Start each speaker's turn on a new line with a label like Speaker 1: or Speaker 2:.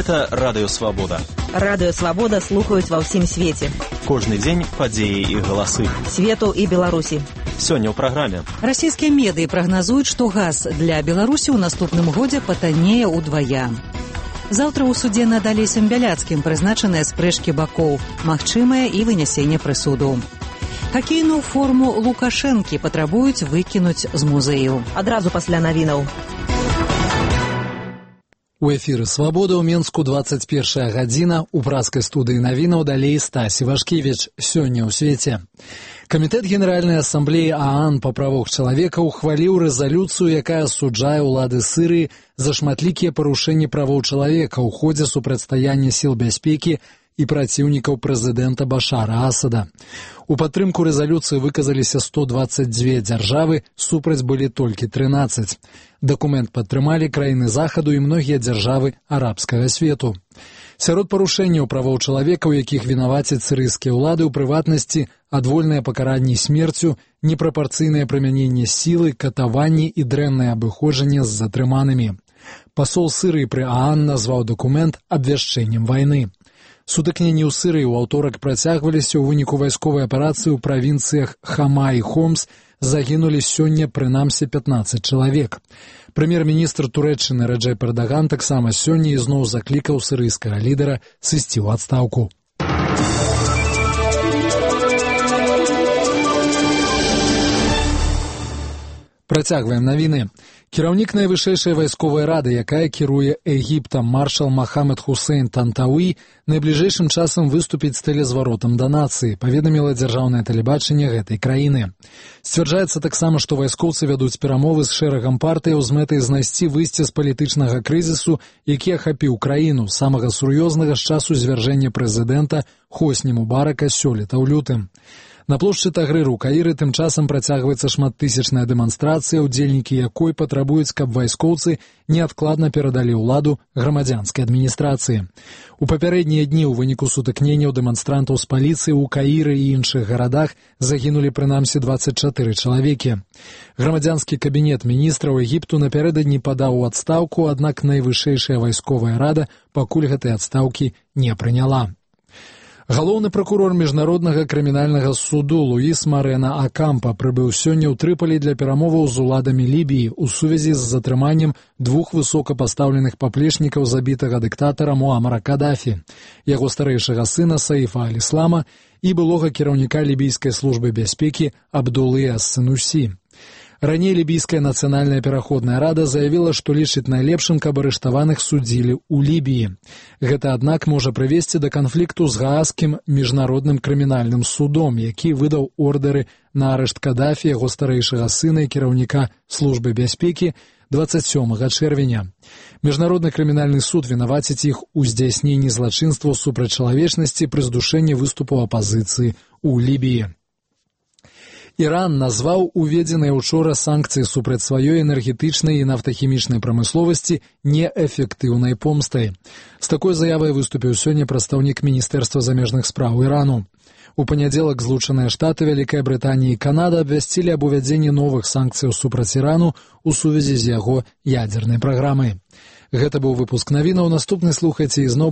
Speaker 1: Гэта Радыё Свабода.
Speaker 2: Радыё Свабода слухаюць ва ўсім свеце.
Speaker 1: Кожны дзень падзеі і галасы.
Speaker 2: Свету і Беларусі.
Speaker 1: Сёння ў праграме.
Speaker 3: Расійскія медыі прагназуюць, што газ для Беларусі ў наступным годзе патаннее ўдвая. Заўтра ў судзе над Алесем Бяляцкім прызначаныя спрэчкі бакоў, магчымае і вынясенне прысуду. Хакейную форму Лукашэнкі патрабуюць выкінуць з музею.
Speaker 2: Адразу пасля навінаў.
Speaker 4: У эфіры «Свабода» ў Менску 21 гадзіна. У праскай студыі навінаў далей Стасі Вашкевіч. Сёння ў свеце. Камітэт Генеральнай асамблеі ААН па правах чалавека ухваліў рэзалюцыю, якая асуджае ўлады Сырыі за шматлікія парушэнні правоў чалавека ў ходзе супрацьстаяння сіл бяспекі і праціўнікаў прэзідэнта Башара Асада. У падтрымку рэзалюцыі выказаліся 122 дзяржавы, супраць былі толькі 13. Дакумент падтрымалі краіны Захаду і многія дзяржавы арабскага свету. Сярод парушэнняў правоў чалавека, у якіх вінавацяць сірыйскія ўлады, у прыватнасці адвольнае пакаранне смерцю, непрапарцыйнае прымяненне сілы, катаванні і дрэннае абыходжанне з затрыманымі. Пасол Сырыі пры ААН назваў дакумент абвяшчэннем вайны. Сутыкненні ў Сырыі ў аўторак працягваліся. У выніку вайсковай аперацыі ў правінцыях Хама і Хомс загінулі сёння прынамсі 15 чалавек. Прэм'ер-міністр Турэччыны Рэджэп Эрдаган таксама сёння ізноў заклікаў сырыйскага лідара сысці ў адстаўку. Працягваем навіны. Кіраўнік найвышэйшай вайсковай рады, якая кіруе Егіптам, маршал Махамед Хусейн Тантауі, найбліжэйшым часам выступіць з тэлезваротам да нацыі, паведаміла дзяржаўнае тэлебачанне гэтай краіны. Сцвярджаецца таксама, што вайскоўцы вядуць перамовы з шэрагам партыяў з мэтай знайсці выйсце з палітычнага крызісу, які ахапіў краіну, самага сур'ёзнага з часу звяржэння прэзідэнта Хосні Мубарака сёлета ў лютым. На плошчы Тагрыру ў Каіры тым часам працягваецца шматтысячная дэманстрацыя, удзельнікі якой патрабуюць, каб вайскоўцы неадкладна перадалі ўладу грамадзянскай адміністрацыі. У папярэднія дні ў выніку сутыкненняў дэманстрантаў з паліцыяй у Каіры і іншых гарадах загінулі прынамсі 24 чалавекі. Грамадзянскі кабінет міністраў Егіпту напярэдадні падаў у адстаўку, аднак найвышэйшая вайсковая рада пакуль гэтай адстаўкі не прыняла. Галоўны пракурор міжнароднага крымінальнага суду Луіс Марена Акампа прыбыў сёння ў Трыполі для перамоваў з уладамі Лібіі ў сувязі з затрыманнем двух высокапастаўленых паплечнікаў забітага дыктатара Муамара Кадафі, яго старэйшага сына Саіфа Аль-Іслама і былога кіраўніка лібійскай службы бяспекі Абдулы ас-Сынусі. Раней лібійская нацыянальная пераходная рада заявіла, што лічыць найлепшым, каб арыштаваных судзілі ў Лібіі. Гэта, аднак, можа прывесці да канфлікту з Гаазскім міжнародным крымінальным судом, які выдаў ордары на арышт Кадафі, яго старэйшага сына і кіраўніка службы бяспекі 27 чэрвеня. Міжнародны крымінальны суд вінаваціць іх у здзяйсненні злачынстваў супраць чалавечнасці пры здушэнні выступаў апазіцыі ў Лібіі. Іран назваў уведзеныя учора санкцыі супраць сваёй энергетычнай і нафтахімічнай прамысловасці неэфектыўнай помстай. З такой заявай выступіў сёння прадстаўнік Міністэрства замежных спраў Ірану. У панядзелак Злучаныя Штаты, Вялікая Брытанія і Канада абвясцілі аб увядзенні новых санкцыяў супраць Ірану у сувязі з яго ядзернай праграмай. Гэта быў выпуск навінаў. Наступны слухайце ізноў